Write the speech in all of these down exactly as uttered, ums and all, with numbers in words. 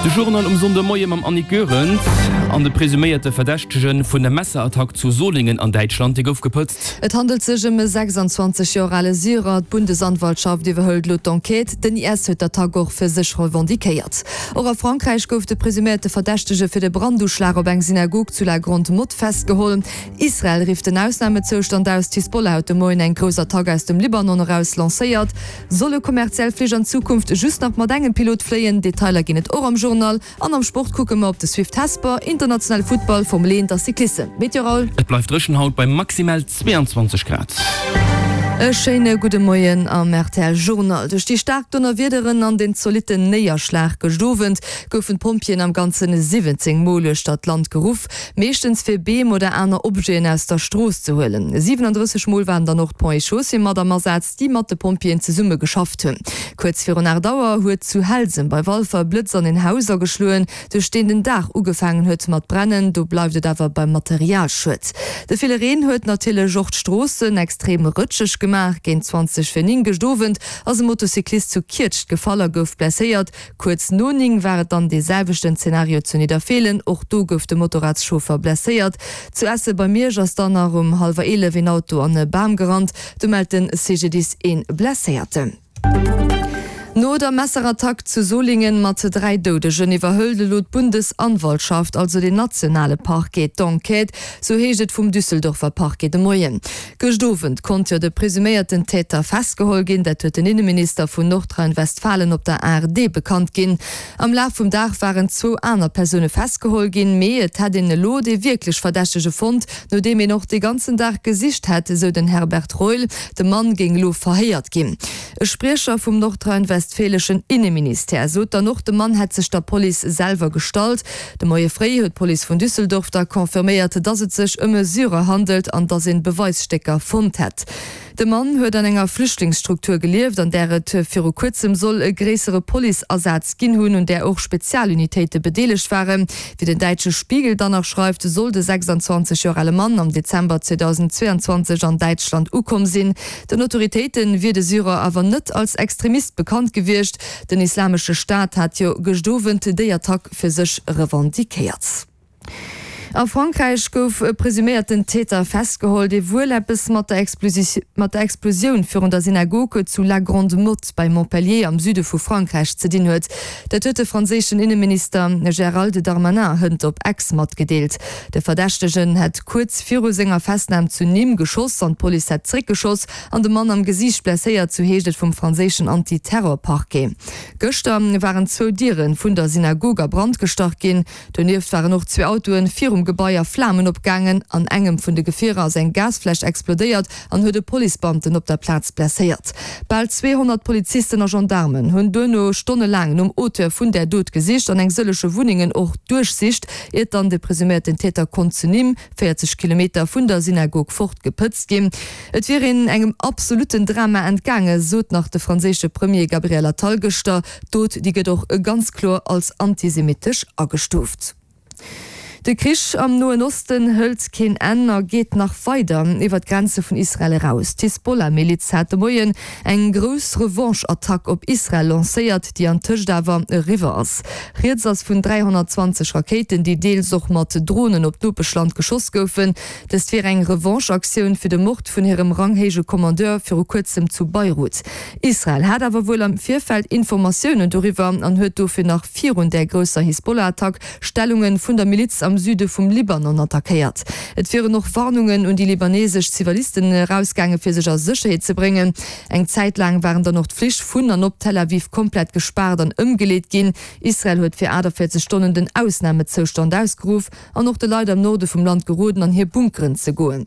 De Journal um Sonndemoie mam Annick Goerens. An de presuméierte Verdächtege vun der Messerattack zu Solingen an Däitschland, dee gouf gepëtzt. Et handelt sech ëm e sechsanzwanzeg Joer ale Syrer. D'Bundesanwaltschaft iwwerhëlt elo d'Enquête. Den I S huet d'Attack och fir sech revendiquéiert. Och a Frankräich gouf de presuméierte Verdächtege fir de Branduschlag op eng Synagog zu La Grande-Motte festgeholl. Israel rifft den Ausnamezoustand aus. D'Hisbollah huet de Moien eng grouss Attack aus dem Libanon eraus lancéiert. Solle kommerziell Flich an Zukunft just nach mat engem Pilot fléien? Detailer ginn et och am Journal. An am Sport kucke mer op de Swift Hesper, internationale Futtball, Formel eent a Cyclissem. Météo Raoul. Et bleift dréchen haut bei maximal zweeanzwanzeg Grad. E schéine gudde Moien am R T L Journal. Duerch déi staark Donnerwiederen an den zolitten Néierschlag gëscht Owend goufen d'Pompjeeën am Ganzen siwwenzéng Mol uechter d'Land geruff, meeschtens fir Beem oder aner Objeten aus der Strooss ze huelen. siwenandrësseg Mol waren dann och d'Ponts et Chaussées mat am Asaz, déi mat de Pompjeeën zesumme geschafft hunn. Kuerz virun aacht Auer huet zu Helsem bei Walfer e Blëtz an een Haus ageschloen, duerch deen den Daach ugefaangen huet mat brennen. Do bleift et awer beim Materialschued. De ville Reen huet natierlech och d'Stroossen extrem rëtscheg gemaach. Géint zwanzeg vir néng gëscht Owend ass e Motocyclist zu Kietscht gefall a gouf blesséiert. Kuerz no néng war et dann dee selwechten Zenario zu Nidderfeelen, och do gouf de Motorradschauffer blesséiert. Zu Esse bei Miersch ass dann nach um hallwer eelef een Auto an e Bam gerannt, do mellt de C G D I S ee Blesséierten. No der Messerattack zu Solingen mat dräi Doudegen iwwerhëlt elo d'Bundesanwaltschaft, also den nationale Parquet, d'Enquête, sou heescht et vum Düsseldorfer Parquet de Moien. Gëscht Owend konnt jo de presuméierten Täter festgeholl ginn, dat huet den Inneminister vun Nordrhein-Westfalen op der A R D bekannt ginn. Am Laf vum Dag waren zwou aner Persoune festgeholl ginn, mee et hätt een elo dee wierklech Verdächtege fonnt, nodeem een och de ganzen Dag gesicht hätt, esou den Herbert Reul. De Mann géing elo verhéiert ginn. E Spriecher vum nordrhein-westfäleschen Inneministère sot dann och, de Mann hätt sech der Police selwer gestallt. De Moie fréi huet d'Police vun Düsseldorf da confirméiert, dass et sech ëm e Syrer handelt an dass een Beweisstécker fonnt hätt. De Mann huet an enger Flüchtlingsstruktur gelieft, an där et viru kuerzem soll e gréissere Policeasaz ginn hunn, un där och Spezialunitéite bedeelegt waren. Wéi den däitsche Spiegel dann nach schreift, soll de sechsanzwanzeg Joer ale Mann am Dezember zweedausendzweeanzwanzeg an Däitschland ukomm sinn. Den Autoritéite wier de Syrer awer net als Extremist bekannt gewiescht. Den Islamesche Staat hat jo gëscht Owend déi Attack fir sech revendiquéiert. A Frankräich gouf e presuméierten Täter festgeholl, dee wuel eppes mat der mat der Explosioun virun der Synagoge zu La Grande-Motte bei Montpellier am Süde vu Frankräich ze dinn huet. Dat huet de franséischen Inneminister Gérald Darmanin hënt op X matgedeelt. De Verdächtegen hätt kuerz viru senger Festnam zu Nîmes geschoss an d'Police hätt zeréckgeschoss an de Mann am Gesiicht blesséiert, sou heescht et vum franséischen Anti-Terror-Parquet. Gëschter waren zwou Diere vun der Synagog a Brand gestach ginn. Donieft waren och zwee Autoe virum Gebai a Flamen opgaangen. An engem vun de Gefierer ass eng Gasfläsch explodéiert an huet e Policebeamten op der Plaz blesséiert. Bal zweehonnert Polizisten a Gendaarmen hunn duerno stonnelaang nom Auteur vun där Dot gesicht an eng sëllege Wunnengen och duerchsicht, iert dann de presuméierten Täter konnt zu Nîmes, véierzeg Kilometer vun der Synagog fort, gepëtzt ginn. Et wier een engem absolutten Drama entgaangen, sot nach de franséische Premier Gabriel Attal gëschter. D'Dot, déi gëtt och ganz kloer als antisemittesch agestuuft. De Krich am Noen Osten hëlt keen Enn a geet nach weider iwwer d'Grenze vun Israel eraus. D'Hisbollah-Miliz hat de Moien eng grouss Revanche-Attack op Israel lancéiert, déi antëscht awer eriwwer ass. Rieds ass vun dräihonnertzwanzeg Rakéiten, déi deels och mat Dronen op d'Nopeschland geschoss goufen. Dëst wier eng Revanche-Aktioun fir de Mord vun hirem ranghéije Kommandeur viru kuerzem zu Beirut. Israel hat awer wuel am Virfeld Informatiounen doriwwer an huet dofir nach virun där grousser Hisbollah-Attack Stellunge vun der Miliz am Süde vum Libanon attackéiert. Et wieren och Warnungen un déi libanesesch Zivilisten erausgaange fir sech a Sécherheet ze bréngen. Eng Zäit laang waren dann och d'Flich vun an op Tel Aviv komplett gespaart an ëmgeleet ginn. Israel huet fir aachtavéierzeg Stonnen den Ausnamezoustand ausgeruff an och de Leit am Norde vum Land geroden an hir Bunkeren ze goen.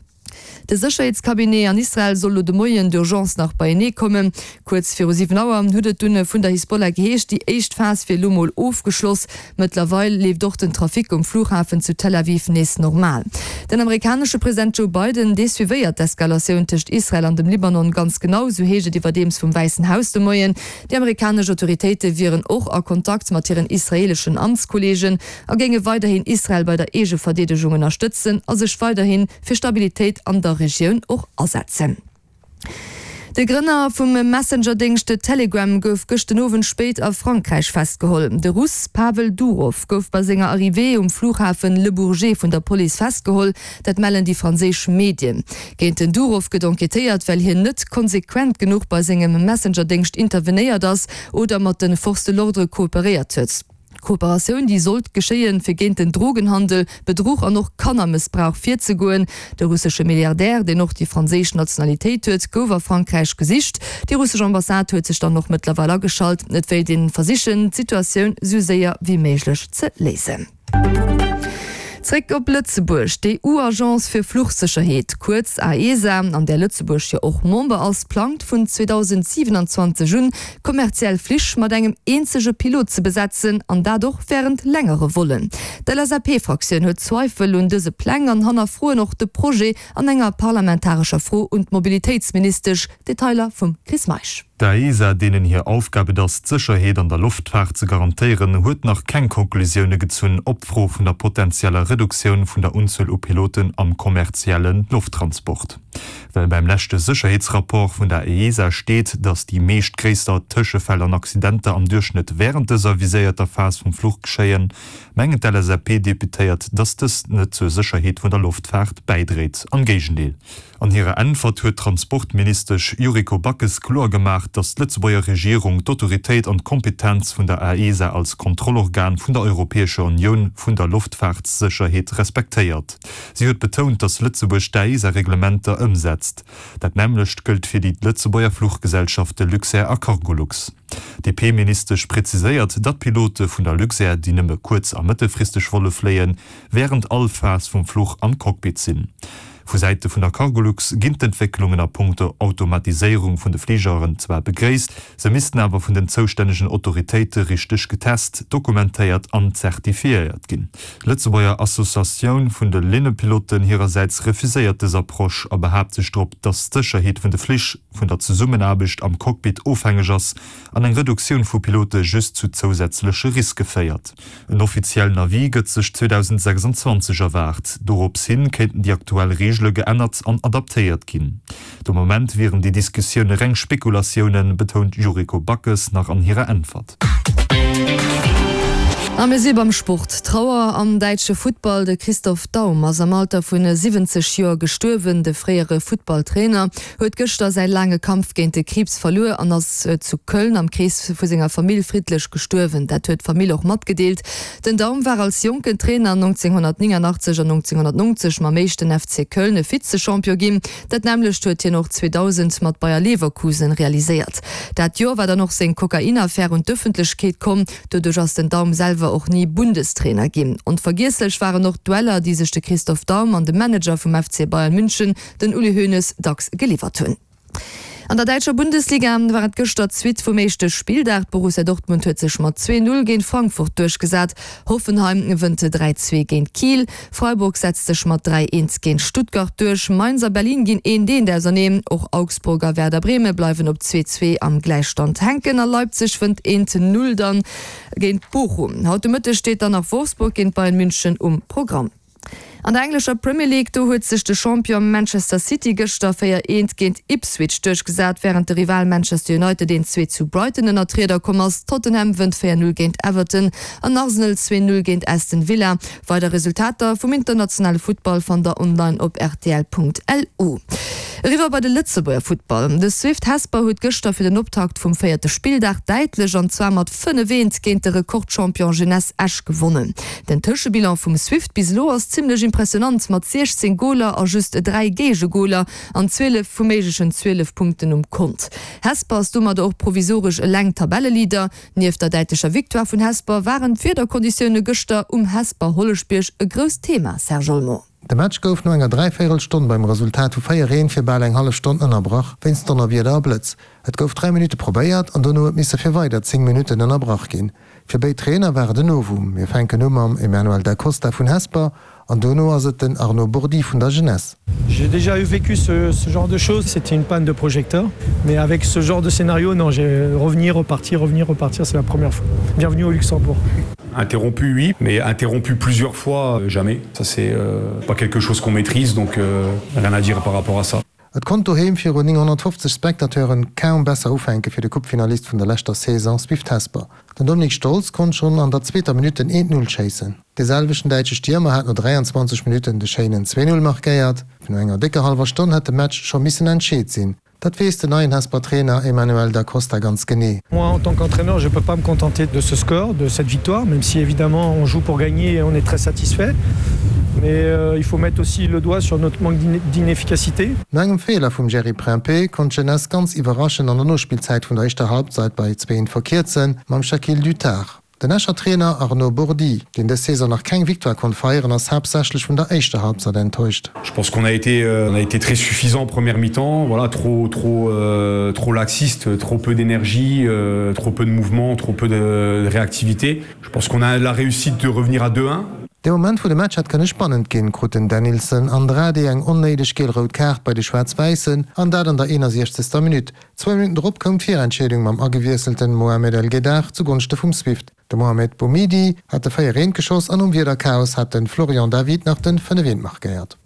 De Sécherheetscabinet an Israel soll lo de Moien d'urgence nach beienee kommen. Kuerz viru siwen Auer huet et dunn vun der Hisbollah geheescht, déi éischt Phas wier lo mol ofgeschloss. Mëttlerweil leeft och den Trafic um Flughafen zu Tel Aviv nees normal. Den amerikanesche President Joe Biden, dee suivéiert d'Eskalatioun tëscht Israel an dem Libanon ganz genau, sou heescht et iwwerdeems vum Wäissen Haus de Moien. Déi amerikanesch Autoritéite wieren och a Kontakt mat hiren israeeleschen Amtskolleegen a géinge weiderhin Israel bei der Eegeverdeedegung ënnerstëtzen a sech weiderhi fir Stabilitéit an der Regioun och asetzen. De Grënner vum Messenger-Déngscht Telegram gouf gëscht den Owend spéit a Frankräich festgeholl. De Russ Pavel Durov gouf bei senger Arrivée um Flughafen Le Bourget vun der Police festgeholl, dat mellen déi franséisch Medien. Géint den Durov gëtt enquêtéiert, well hien net konsequent genuch bei sengem Messenger-Déngscht intervenéiert ass oder mat de Forces de l'ordre kooperéiert huet. D'Kooperatioun, déi sollt geschéien, fir géint den Drogenhandel, Bedruch an och Kannermëssbrauch virzegoen. De russesche Milliardär, deen och déi franséisch Nationalitéit huet, gouf a Frankräich gesicht. Déi russesch Ambassade huet sech dann och mëttlerweil ageschalt. Et wéilt een versichen, d'Situatioun sou séier wéi méiglech ze léisen. Zréck op Lëtzebuerg, D'EU-Agence fir Fluchsécherheet, kuerz AESA, an där Lëtzebuerg jo och Member ass, plangt vun zweedausendsiwenanzwanzeg un, kommerziell Flich mat engem eenzege Pilot ze besetzen, an dat och wärend längere Vollen. D'LSAP-Fraktioun huet Zweifel un dëse Pläng an hannerfroen och de Projet an enger parlamentarescher Fro un d'Mobilitéitsministesch. Detailer vum Chris Meisch. D'AESA, deenen hir Aufgab et ass, d'Sécherheet an der Loftfaart ze garantéieren, huet nach keng Konklusioune gezunn op d'Fro vun der potenzieller Reduktioun vun der Unzuel u Piloten am kommerzielle Lofttransport. Well beim leschte Sécherheetsrapport vun der AESA steet, datt déi meescht gréisser Tëschefäll an Accidenter am Duerchschnëtt wärend dëser viséierter Phas vum Fluch geschéien, mengen d'LSAP-Deputéiert, datt dëst net zur Sécherheet vun der Loftfaart bäidréit. Am Géigendeel. An hirer Äntwert huet d'Transportministesch Yuriko Backes kloer gemaach, datt d'Lëtzebuerger Regierung d'Autoritéit an d'Kompetenz vun der AESA als Kontrollorgan vun der Europäescher Unioun vun der Loftfaartsécherheet respektéiert. Si huet betount, datt Lëtzebuerg d'AESA-Reglementer ëmsetzt. Dat nämmlecht gëllt fir déi Lëtzebuerger Fluchgesellschafte Luxair a Cargolux. D'DP-Ministesch präziséiert, datt Pilote vun der Luxair, déi nëmme kuerz a mëttelfristeg Volle fléien, wärend all Phas vum Fluch am Cockpit sinn. Vu Säite vun der Cargolux ginn d'Entwécklungen a Punkto Automatiséierung vun de Fligeren zwar begréisst, se missten awer vun den zoustännegen Autoritéite richteg getest, dokumentéiert an zertifiéiert ginn. D'Lëtzebuerger Associatioun vun de Linnepiloten hirersäits refuséiert dës Approche a behaapt sech drop, datt d'Sécherheet vun de Flich vun der Zesummenaarbecht am Cockpit ofhängeg ass an eng Reduktioun vu Pilote just zu zousätzleche Riske féiert. En offiziellen Avis gëtt sech zweedausendsechsanzwanzeg erwaart. Dorops hin kéinten déi aktuell Reegele geännert an adaptéiert ginn. De Moment wieren déi Diskussioune reng Spekulatiounen, betount d'Yuriko Backes nach an hirer Äntwert. A mir si beim Sport. Trauer am däitsche Futtball, De Christoph Daum ass am Alter vun siwwenzeg Joer gestuerwen. De fréiere Futtballtrainer huet gëschter säi laange Kampf géint de Kriibs verluer an ass zu Köln am Krees vu senger Famill friddlech gestuerwen. Dat huet d'Famill och matgedeelt. Den Daum war als jonken Trainer nonzénghonnertnéngannachtzeg an nonzénghonnertnonzeg mam éischten F C Köln Vize-Champion ginn. Dat nämmlecht huet hien och zweedausend mat Bayer Leverkusen realiséiert. Dat Joer war dann och seng Kokainaffär un d'Ëffentlechkeet komm. Doduerch ass den Daum selwer och ni Bundestrainer ginn. Onvergiesslech waren och d'Dueller, déi sech de Christoph Daum an de Manager vum F C Bayern München, den Uli Hoeneß, dacks geliwwert hunn. An der däitscher Bundesliga war et gëschter d'Suite vum éischte Spilldag. D'Borussia Dortmund huet sech mat zwee Null géint Frankfurt duerchgesat. Hoffenheim wënnt dräi zwee géint Kiel. Freiburg setzt sech mat dräi eent géint Stuttgart duerch. Mainz a Berlin ginn eent eent auserneen. Och Augsburg a Werder Bremen bleiwen op zwee zwee am Gläichstand hänken a Leipzig wënnt eent Null dann géint Bochum. Haut de Mëtteg steet dann nach Wolfsburg géint Bayern München um Programm. An der englescher Premier League, do huet sech de Champion Manchester City gëschter véier eent géint Ipswich duerchgesat, wärend de Rival Manchester United eent zwee zu Brighton ënner d'Rieder komm ass. Tottenham wënnt véier null géint Everton an Arsenal zwee null géint Aston Villa. Weider Resultater vum internationale Futtball fannt der online op rtl.lu. Eriwwer bei de Lëtzebuerger Futtball. De Swift Hesper huet gëschter fir den Optakt vum véierte Spilldag däitlech an zwar mat fënnef eent géint de Rekordchampion Jeunesse Esch gewonnen. Den Tëschebilan vum Swift bis elo ass zimmlech impressionant mat siechzéng Goler a just dräi Géigegoler an zwielef vu méiglechen zwielef Punkten um Kont. Hesper ass domadder och provisoresch eleng Tabelleleader. Nieft der däitlecher Victoire vun Hesper waren d'Wiederkonditioune gëschter um Hesper Holleschbierg e grousst Thema, Serge Olmo. De Match gouf no enger dräivéierel Stonn beim Resultat vu véier eent fir bal eng hallef Stonn ënnerbrach wéinst Donnerwieder a Blëtz. Et gouf dräi Minutte probéiert an dono huet misse fir weider zéng Minutten ënnerbrach ginn. Fir béid Trainer war et en Novum. Mir fänken u mam Emmanuel Da Costa vun Hesper an dono ass et den Arnaud Bourdy vun der Jeunesse. J'ai déjà eu vécu ce, ce genre de choses, c'était une panne de projecteur, mais avec ce genre de scénario, non, j'ai revenir, repartir, revenir, repartir, c'est la première fois. Bienvenue au Luxembourg. Interrompu, oui, mais interrompu plusieurs fois, jamais. Ça c'est euh, pas quelque chose qu'on maîtrise, donc euh, rien à dire par rapport à ça. Et konnt doheem virun nénghonnertfofzeg Spectateure kaum besser ufänke fir de Coupefinalist vun der leschter Saison Swift Hesper. Den Dominik Stolz konnt schonn an der zweeter Minutt den eent Null schéissen. De selwechten däitsche Stiermer hat no dräianzwanzeg Minutten de schéinen zwee Null markéiert. No enger décker hallwer Stonn hätt de Match scho missen entscheet sinn. Dat weess den neien Hesper Trainer Emmanuel Da Costa ganz genee. Moi en tant qu'entraîneur, je peux pas me contenter de ce score, de cette victoire, même si évidemment on joue pour gagner et on est très satisfait. Mais euh, il faut mettre aussi le doigt sur notre manque d'inefficacité. No engem Feeler vum Jerry Prempeh konnt d'Jeunesse ganz iwwerraschend an der Nospillzäit vun der éischter Halbzeit bei zwee verkierzen, mam Shaquille Dutard. Den Escher Trainer Arnaud Bourdy, deen dës Saison nach keng Victoire konnt feieren, ass haaptsächlech vun der éischter Halbzeit enttäuscht. Je pense qu'on a été, on a été très suffisant en première mi-temps, voilà, trop, trop, euh, trop laxiste, trop peu d'énergie, euh, trop peu de mouvement, trop peu de réactivité. Je pense qu'on a la réussite de revenir à deux un. Dee Moment wou de Match hätt kënne spannend ginn, krut den Denilson Andrade eng onnéideg giel-rout Kaart bei de Schwaarz-Wäissen, an dat an der eenasiechzegster Minutt. Zwou Minutten drop koum d'Virentscheedung mam agewiesselten Mohamed El Gueddar zu Gonschte vum Swift. De Mohamed Boumidi hat de véier eent geschoss an nom Wiederchaos hat de Florian David nach den fënnef eent markéiert.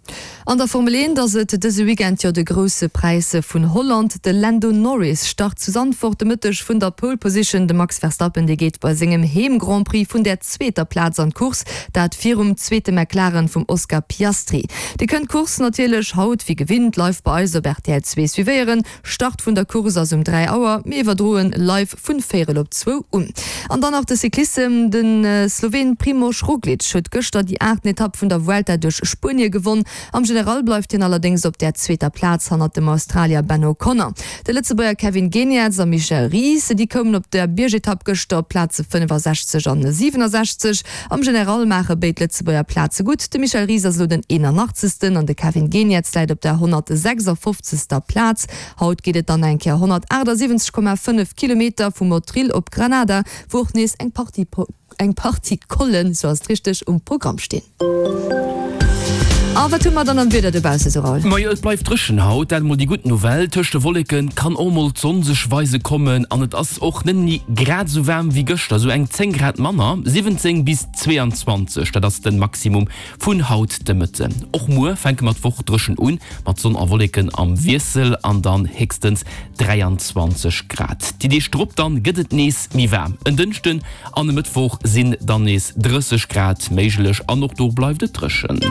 An der Formel eent ass et dëse Weekend jo de Grousse Präis vun Holland. De Lando Norris start zu Zandvoort de Mëtteg vun der Pole Position. De Max Verstappen, dee geet bei sengem Heem-Grand Prix vun der zweeter Plaz an d'Course, dat virum zweete McLaren vum Oscar Piastri. Dir kënnt d'Course natierlech haut wéi gewinnt live bei eis op rtl zwee suivéieren. Start vun der Course ass um dräi Auer, mir iwwerdroen live vun véierel op zwou un. An dann nach de Cyclissem, De Sloween Primož Roglič huet gëschter déi aachten Etapp vun der Vuelta duerch Spuenie gewonn. Am General bleift hien allerdéngs op der zweeter Plaz hannert dem Australier Ben O'Connor. De Lëtzebuerger Kevin Geniets a Michel Ries, déi koumen op der Biergetapp gëschter op d'Plaze fënnefasechzeg an siwenesechzeg. Am General maache béid Lëtzebuerger Plaze gutt. De Michel Ries ass elo den eenanachtzegsten an de Kevin Geniets läit op der honnertsechsafofzegster Plaz. Haut geet et dann eng Kéier honnertachtasiwwenzeg Komma fënnef Kilometer vu Motril op Granada, wou och nees eng Partie eng Partie Collen, sou ass et richteg, um Programm stinn. A wat hu mer dann am Wieder dobausse sou, Raoul? Majo, et bleift dréchen haut, dat emol déi gutt Nouvelle. Tëscht de Wolleke kann och mol d'Sonn sech weise kommen an et ass och net méi grad esou waarm wéi gëschter, sou eng zéng Grad manner, siwwenzéng bis zweeanzwanzeg, dat ass de Maximum vun haut de Mëtten. Och muer fänke mer d'Woch dréchen un, mat Sonn a Wolleken am Wiessel an dann héchstens dräianzwanzeg Grad. Déi Deeg drop dann gëtt et nees méi waarm, en Dënschden an e Mëttwoch sinn dann nees drësseg Grad méiglech an och do bleift et dréchen.